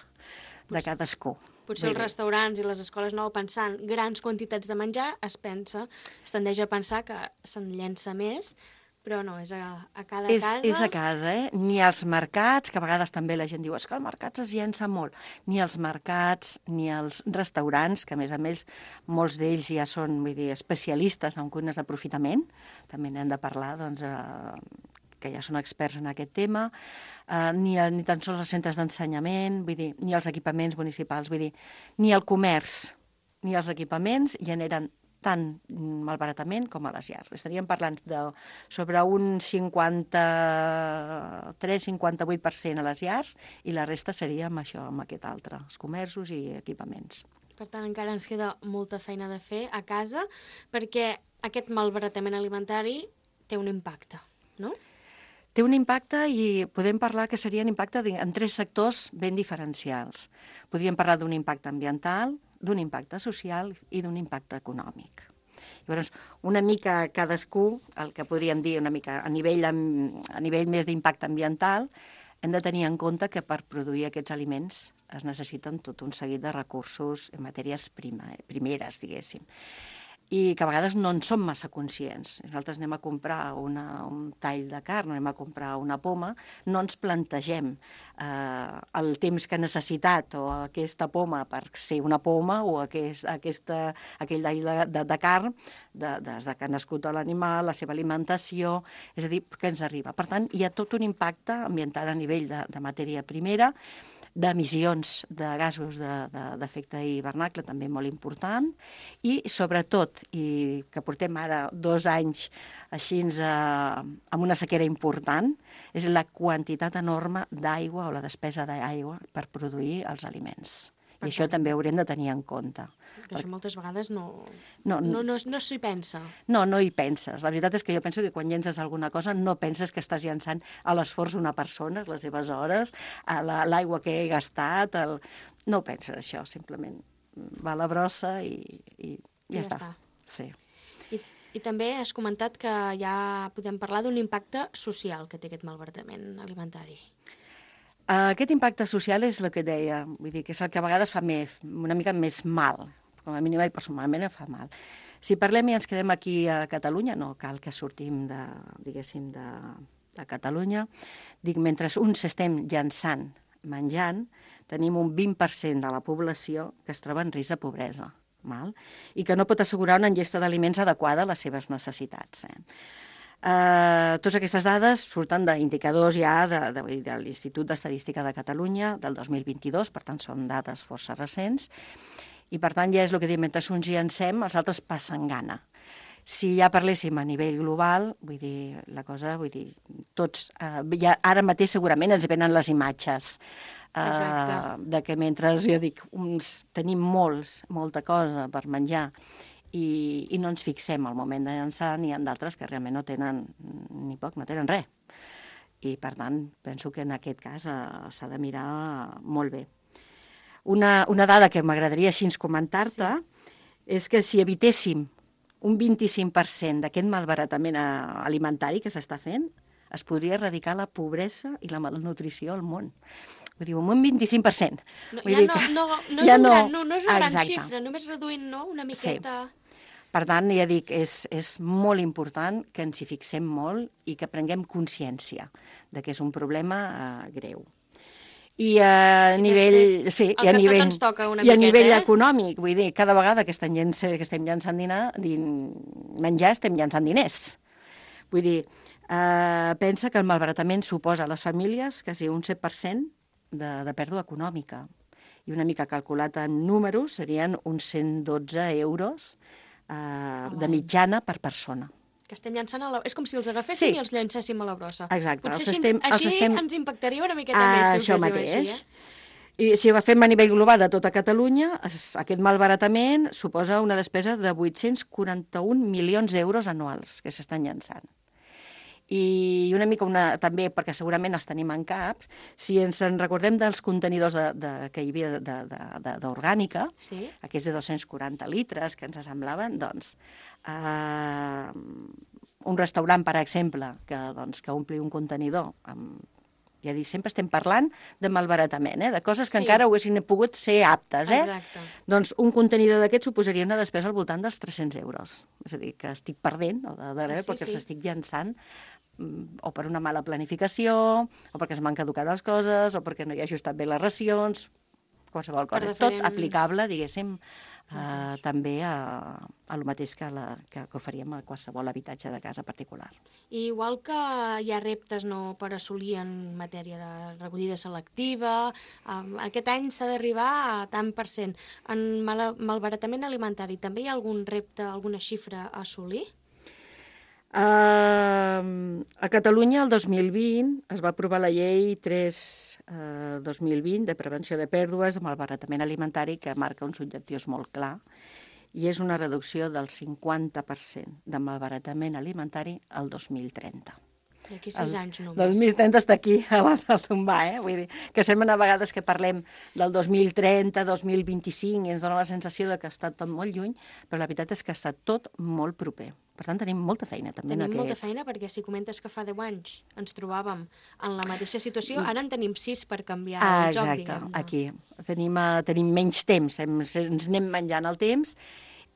de cadascú. Potser els restaurants i les escoles no pensant grans quantitats de menjar, es tendeix a pensar que se'n llença més, però no, és a cada casa. És a casa, Ni als mercats, que a vegades també la gent diu que als mercats es llença molt, ni als mercats, ni als restaurants, que a més molts d'ells ja són, especialistes en cuines d'aprofitament, també n'hem de parlar, doncs, que ja són experts en aquest tema, ni tan sols els centres d'ensenyament, ni els equipaments municipals, ni el comerç, ni els equipaments generen tant malbaratament com a les llars. Estaríem parlant sobre un 53-58% a les llars i la resta seria amb això, amb aquest altre, els comerços i equipaments. Per tant, encara ens queda molta feina de fer a casa perquè aquest malbaratament alimentari té un impacte, no? Té un impacte i podem parlar que seria un impacte en 3 sectors ben diferencials. Podríem parlar d'un impacte ambiental, d'un impacte social i d'un impacte econòmic. Llavors, una mica cadascú, el que podríem dir una mica a nivell més d'impacte ambiental, hem de tenir en compte que per produir aquests aliments es necessiten tot un seguit de recursos, matèries primeres, diguéssim, i que a vegades no en som massa conscients. Nosaltres anem a comprar un tall de carn, anem a comprar una poma, no ens plantegem el temps que ha necessitat o aquesta poma per ser una poma o aquell tall de carn des que ha nascut l'animal, la seva alimentació, és a dir, que ens arriba. Per tant, hi ha tot un impacte ambiental a nivell de matèria primera, d'emissions de gasos d'efecte hivernacle, també molt important, i sobretot, i que portem ara 2 anys així amb una sequera important, és la quantitat enorme d'aigua o la despesa d'aigua per produir els aliments. I això també ho haurem de tenir en compte. Que això moltes vegades no s'hi pensa. No hi penses. La veritat és que jo penso que quan llences alguna cosa no penses que estàs llençant a l'esforç d'una persona, les seves hores, a l'aigua que he gastat. No ho penses, això, simplement va a la brossa i ja està. Sí. I també has comentat que ja podem parlar d'un impacte social que té aquest malbaratament alimentari. Aquest impacte social és el que deia, vull dir que és el que a vegades fa una mica més mal, com a mínim i personalment em fa mal. Si parlem i ens quedem aquí a Catalunya, no cal que sortim de Catalunya, dic, mentre uns estem llançant, menjant, tenim un 20% de la població que es troba en risc de pobresa, i que no pot assegurar una ingesta d'aliments adequada a les seves necessitats. Totes aquestes dades surten d'indicadors ja de l'Institut d'Estadística de Catalunya del 2022, per tant són dades força recents, i per tant ja és el que diem, mentre uns llancem, els altres passen gana. Si ja parléssim a nivell global, tots, ara mateix segurament ens venen les imatges de que mentre, jo dic, uns tenim molta cosa per menjar i no ens fixem al moment de llançar, n'hi ha d'altres que realment no tenen ni poc, no tenen res. I, per tant, penso que en aquest cas s'ha de mirar molt bé. Una dada que m'agradaria així comentar-te és que si evitéssim un 25% d'aquest malbaratament alimentari que s'està fent, es podria erradicar la pobresa i la malnutrició al món. Ho diu, un 25%. No és una gran xifra, només reduint una miqueta... Per tant, ja dic, és molt important que ens hi fixem molt i que prenguem consciència de que és un problema greu. I a nivell econòmic, vull dir, cada vegada que estem llançant menjar, estem llançant diners. Vull dir, pensa que el malbaratament suposa a les famílies quasi un 7% de pèrdua econòmica. I una mica calculat en números serien uns 112 euros de mitjana per persona. Que estem llançant és com si els agaféssim i els llançéssim a la brossa. Exacte. Potser així ens impactaria una miqueta més. Això mateix. I si ho fem a nivell global de tota Catalunya, aquest malbaratament suposa una despesa de 841 milions d'euros anuals que s'estan llançant. I una mica també, perquè segurament els tenim en caps, si ens en recordem dels contenidors que hi havia d'orgànica, aquests de 240 litres que ens semblaven, doncs, un restaurant, per exemple, que ompli un contenidor amb... Ja dic, sempre estem parlant de malbaratament, de coses que encara haguessin pogut ser aptes. Exacte. Doncs un contenidor d'aquest suposaria una despesa al voltant dels 300 euros. És a dir, que estic perdent, perquè s'estic llançant o per una mala planificació, o perquè es m'han caducat les coses, o perquè no hi ha ajustat bé les racions, qualsevol cosa. Tot aplicable, diguéssim, també a lo mateix que oferíem a qualsevol habitatge de casa particular. I igual que hi ha reptes per assolir en matèria de recollida selectiva, aquest any s'ha d'arribar a tant per cent. En malbaratament alimentari també hi ha algun repte, alguna xifra a assolir? A Catalunya, el 2020, es va aprovar la llei 3/2020 de prevenció de pèrdues de malbaratament alimentari, que marca uns objectius molt clars, i és una reducció del 50% de malbaratament alimentari al 2030. D'aquí 6 anys només. El 2030 està aquí, a la tombar, Vull dir, que sembla a vegades que parlem del 2030, 2025, i ens dona la sensació de que ha estat tot molt lluny, però la veritat és que ha estat tot molt proper. Per tant, tenim molta feina també en aquest... Tenim molta feina, perquè si comentes que fa 10 anys ens trobàvem en la mateixa situació, ara en tenim 6 per canviar el joc, diguem-ne. Aquí. Tenim menys temps, ens anem menjant el temps,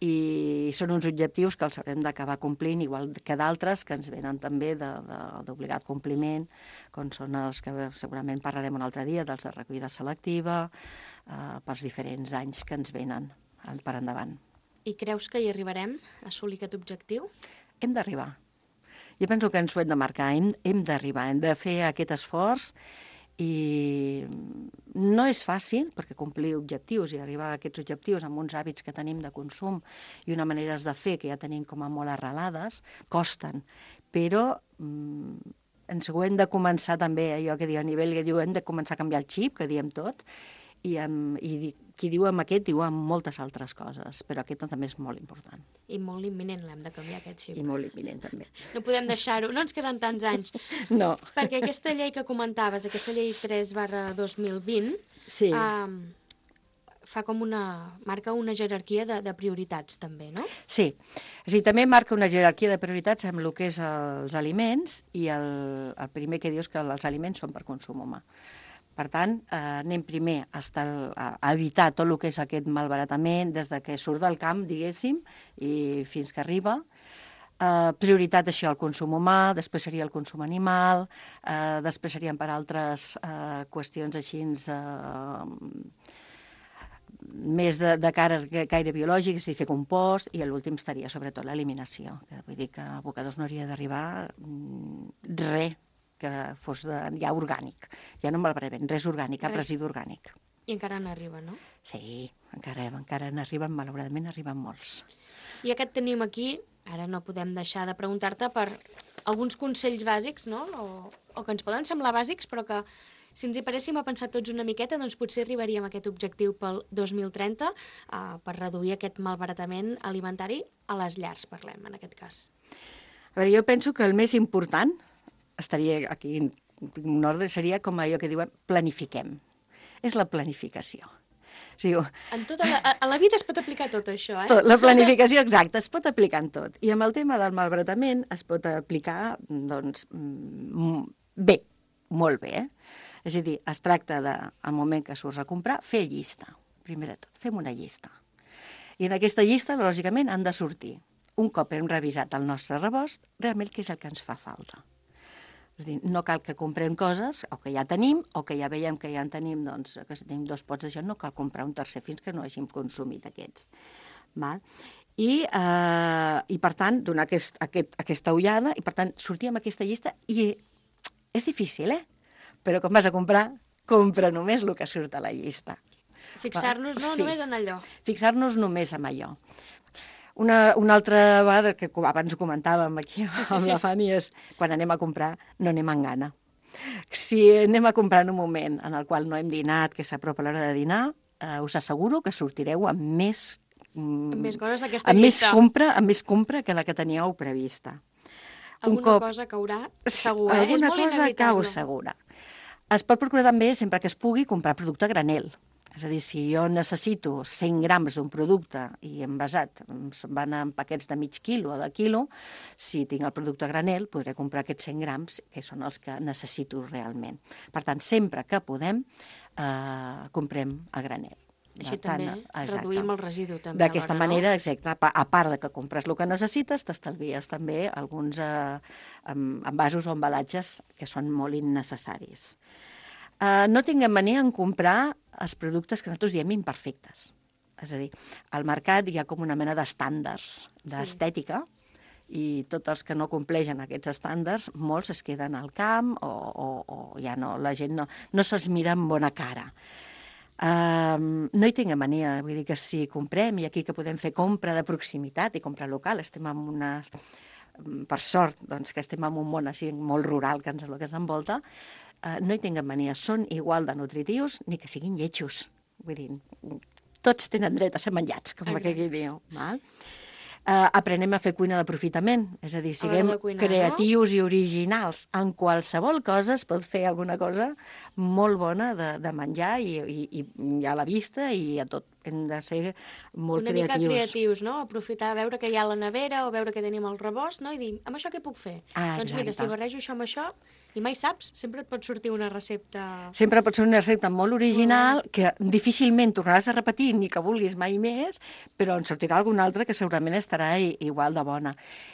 i són uns objectius que els haurem d'acabar complint, igual que d'altres que ens venen també d'obligat compliment, com són els que segurament parlarem un altre dia, dels de recollida selectiva, pels diferents anys que ens venen per endavant. I creus que hi arribarem a assolir aquest objectiu? Hem d'arribar. Jo penso que ens ho hem de marcar, hem d'arribar, hem de fer aquest esforç, i no és fàcil, perquè complir objectius i arribar a aquests objectius amb uns hàbits que tenim de consum i unes maneres de fer que ja tenim com a molt arrelades, costen, però ens ho hem de començar també, allò que diu a nivell, que diu, hem de començar a canviar el xip, que diem tot, i qui diu amb aquest diu amb moltes altres coses, però aquest també és molt important. I molt imminent l'hem de canviar, aquest xip. I molt imminent també. No podem deixar-ho, no ens queden tants anys. No. Perquè aquesta llei que comentaves, aquesta llei 3/2020, sí. marca una jerarquia de prioritats també, no? Sí, també marca una jerarquia de prioritats amb el que és els aliments, i el primer que dius que els aliments són per consum humà. Per tant, anem primer a evitar tot el que és aquest malbaratament des de que surt del camp, diguéssim, i fins que arriba. Prioritat, això, el consum humà, després seria el consum animal, després serien per altres qüestions així més de caire biològic, és a dir, fer compost, i l'últim estaria sobretot l'eliminació. Vull dir que a abocadors no hauria d'arribar res que fos ja orgànic. Ja no malbaratament, res orgànic, cap residu orgànic. I encara n'arriba, no? Sí, encara n'arriben, malauradament n'arriben molts. I aquest tenim aquí, ara no podem deixar de preguntar-te per alguns consells bàsics, no? O que ens poden semblar bàsics, però que si ens hi paréssim a pensar tots una miqueta, doncs potser arribaríem a aquest objectiu pel 2030 per reduir aquest malbaratament alimentari a les llars, parlem, en aquest cas. A veure, jo penso que el més important estaria aquí en un ordre, seria com allò que diuen planifiquem. És la planificació. Sí, A la vida es pot aplicar tot això, eh? la planificació exacta es pot aplicar en tot. I amb el tema del malbaratament es pot aplicar, doncs, bé, molt bé. És a dir, es tracta de, al moment que surts a comprar, fer llista. Primer de tot, fem una llista. I en aquesta llista, lògicament, han de sortir, un cop hem revisat el nostre rebost, realment què és el que ens fa falta. És a dir, no cal que comprem coses, o que ja tenim, o que ja veiem que ja en tenim, doncs, que si tenim 2 pots d'això, no cal comprar un tercer fins que no hàgim consumit aquests. Val? I per tant, donar aquesta ullada, i per tant, sortir amb aquesta llista, i és difícil, però quan vas a comprar, compra només el que surt a la llista. Fixar-nos només en allò. Fixar-nos només en allò. Una altra vegada, que abans ho comentàvem aquí amb la Fanny, és quan anem a comprar, no anem amb gana. Si anem a comprar en un moment en el qual no hem dinat, que s'apropa l'hora de dinar, us asseguro que sortireu amb més... Amb més coses d'aquesta llista. Amb més compra que la que teníeu prevista. Cosa caurà segur, eh? Alguna cosa cau segura. Es pot procurar també, sempre que es pugui, comprar producte a granel. És a dir, si jo necessito 100 grams d'un producte i envasat van en paquets de mig quilo o de quilo, si tinc el producte a granel, podré comprar aquests 100 grams, que són els que necessito realment. Per tant, sempre que podem, comprem a granel. Així també reduïm el residu. D'aquesta manera, exacte, a part de que compres el que necessites, t'estalvies també alguns envasos o embalatges que són molt innecessaris. No tinguem mania en comprar els productes que nosaltres diem imperfectes. És a dir, al mercat hi ha com una mena d'estàndards d'estètica, i tots els que no compleixen aquests estàndards, molts es queden al camp o ja no, la gent no se'ls mira amb bona cara. No hi tinguem mania, vull dir que si comprem, i aquí que podem fer compra de proximitat i compra local, estem en unes... Per sort, doncs, que estem en un món així molt rural que ens envolta, no hi tinguem mania, són igual de nutritius ni que siguin lletjos. Vull dir, tots tenen dret a ser menjats, com aquell diu. Aprenem a fer cuina d'aprofitament, és a dir, siguem creatius i originals. En qualsevol cosa es pot fer alguna cosa molt bona de menjar i a la vista i a tot. Hem de ser molt creatius. Una mica creatius, no? Aprofitar, veure què hi ha a la nevera o veure què tenim al rebost, no? I dir, amb això què puc fer? Doncs mira, si barrejo això amb això, i mai saps, sempre et pot sortir una recepta... Sempre pot ser una recepta molt original, que difícilment tornaràs a repetir ni que vulguis mai més, però en sortirà alguna altra que segurament estarà igual de bona.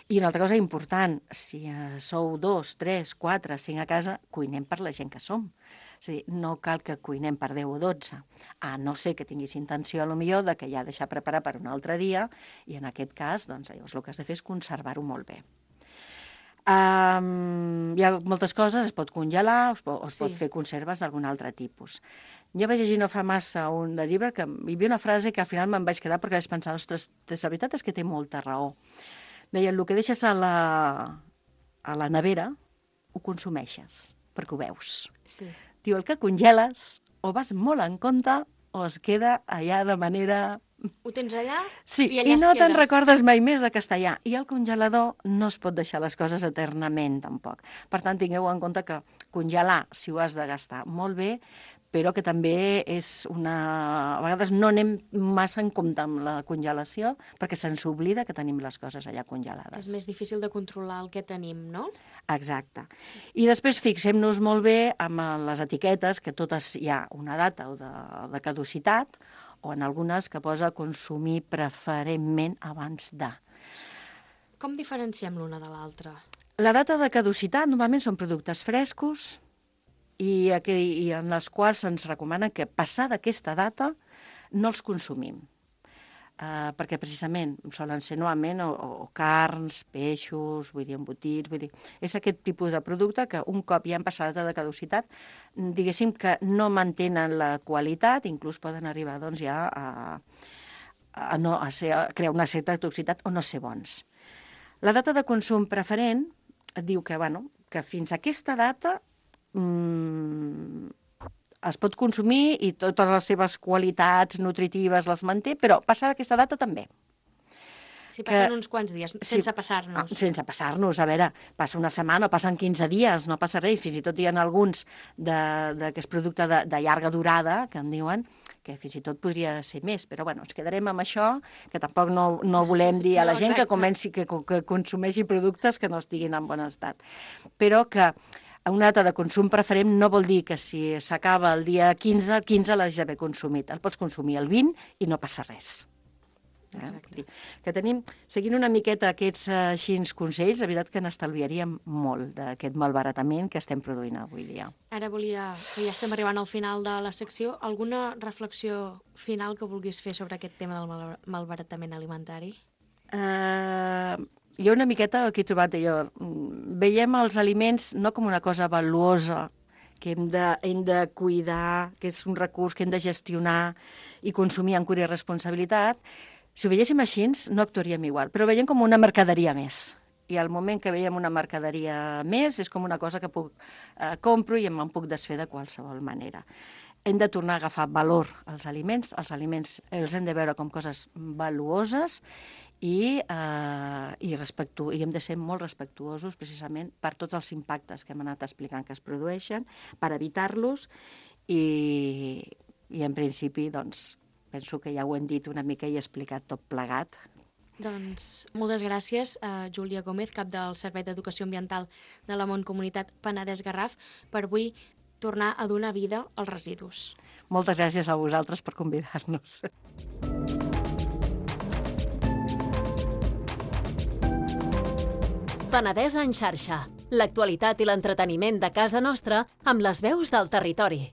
I una altra cosa important, si sou 2, 3, 4, 5 a casa, cuinem per la gent que som. És a dir, no cal que cuinem per 10 o 12, a no ser que tinguis intenció, potser, de que ja deixar preparar per un altre dia, i en aquest cas, doncs, llavors el que has de fer és conservar-ho molt bé. Hi ha moltes coses, es pot congelar, es pot fer conserves d'algun altre tipus. Jo vaig llegir no fa massa un llibre que hi havia una frase que al final me'n vaig quedar perquè vaig pensar, ostres, la veritat és que té molta raó. Deien, el que deixes a la nevera ho consumeixes, perquè ho veus. Sí. Diu, el que congeles o vas molt en compte o es queda allà de manera... Ho tens allà sí, i allà i no es te'n queda. recordes mai més de que està allà. I al congelador no es pot deixar les coses eternament, tampoc. Per tant, tingueu en compte que congelar, si ho has de gastar, molt bé, però que també és una... A vegades no anem massa en compte amb la congelació perquè se'ns oblida que tenim les coses allà congelades. És més difícil de controlar el que tenim, no? Exacte. I després fixem-nos molt bé amb les etiquetes, que totes hi ha una data de caducitat, o en algunes que posa consumir preferentment abans de. Com diferenciem l'una de l'altra? La data de caducitat normalment són productes frescos i en els quals se'ns recomana que passada aquesta data no els consumim. Perquè precisament solen ser normalment o carns, peixos, vull dir, embotits, vull dir, és aquest tipus de producte que un cop ja han passat de caducitat, diguéssim que no mantenen la qualitat, inclús poden arribar doncs, ja a crear una certa toxicitat o no ser bons. La data de consum preferent et diu que, que fins a aquesta data es pot consumir i totes les seves qualitats nutritives les manté, però passada aquesta data també. Si passen uns quants dies, sense passar-nos. Sense passar-nos, a veure, passa una setmana, passen 15 dies, no passa res, fins i tot hi ha alguns que és producte de llarga durada, que en diuen, que fins i tot podria ser més, però bueno, ens quedarem amb això, que tampoc no volem dir a la gent que comenci que consumeixi productes que no estiguin en bon estat. Però que una data de consum preferent no vol dir que si s'acaba el dia 15, el 15 l'has d'haver consumit. El pots consumir el 20 i no passa res. Que seguint una miqueta aquests consells, la veritat que n'estalviaríem molt d'aquest malbaratament que estem produint avui dia. Ara volia, que ja estem arribant al final de la secció, alguna reflexió final que vulguis fer sobre aquest tema del malbaratament alimentari? Jo una miqueta el que he trobat jo, veiem els aliments no com una cosa valuosa, que hem de cuidar, que és un recurs que hem de gestionar i consumir amb cura i responsabilitat. Si ho veiéssim així, no actuaríem igual, però ho veiem com una mercaderia més. I al moment que veiem una mercaderia més és com una cosa que compro i me'n puc desfer de qualsevol manera. Hem de tornar a agafar valor als aliments els hem de veure com coses valuoses i hem de ser molt respectuosos precisament per tots els impactes que hem anat explicant que es produeixen, per evitar-los i en principi doncs, penso que ja ho hem dit una mica i he explicat tot plegat. Doncs moltes gràcies a Júlia Gómez, cap del Servei d'Educació Ambiental de la Mancomunitat Penedès-Garraf, per avui tornar a donar vida als residus. Moltes gràcies a vosaltres per convidar-nos. Penedès en xarxa. L'actualitat i l'entreteniment de casa nostra amb les veus del territori.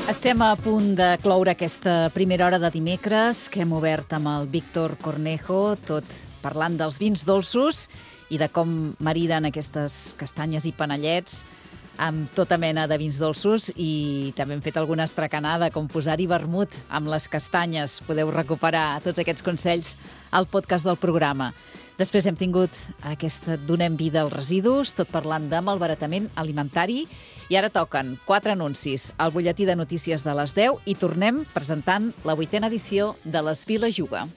Estem a punt de cloure aquesta primera hora de dimecres que hem obert amb el Víctor Cornejo, tot parlant dels vins dolços i de com mariden aquestes castanyes i panellets amb tota mena de vins dolços, i també hem fet alguna estracanada, com posar-hi vermut amb les castanyes. Podeu recuperar tots aquests consells al podcast del programa. Després hem tingut aquesta Donem vida als residus, tot parlant de malbaratament alimentari, i ara toquen 4 anuncis al butlletí de notícies de les 10 i tornem presentant la 8a edició de l'Esvila Juga.